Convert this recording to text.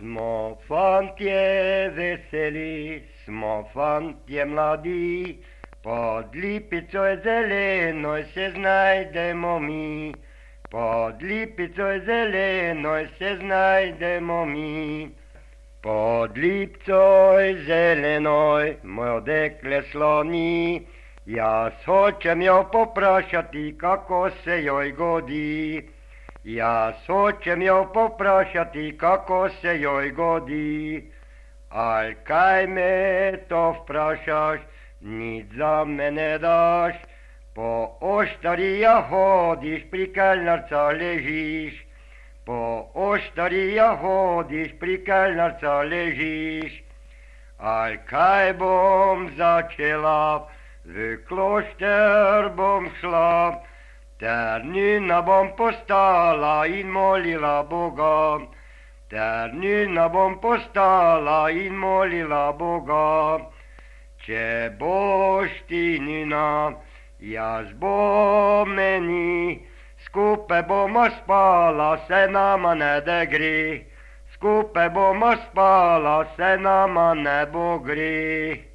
Smo fantje veseli, smo fantje mladi, pod lipicoj zelenoj se znajdemo mi. Pod lipicoj zelenoj se znajdemo mi. Pod lipcoj zelenoj mojo dekle sloni, jaz hočem jo poprašati, kako se joj godi. Jaz hočem jo poprašati, kako se joj godi. Al kaj me to vprašaš, nič za me ne daš. Po oštarija hodiš, pri kelnarca ležiš. Po oštarija hodiš, pri kelnarca ležiš. Al kaj bom začela, v klošter bom šla, ter nina bom postala in molila Boga. Ter nina bom postala in molila Boga. Če boš ti nina, jaz bom meni, skupaj bomo spala, se nama ne da gre. Skupaj bomo spala, se nama ne bo gre.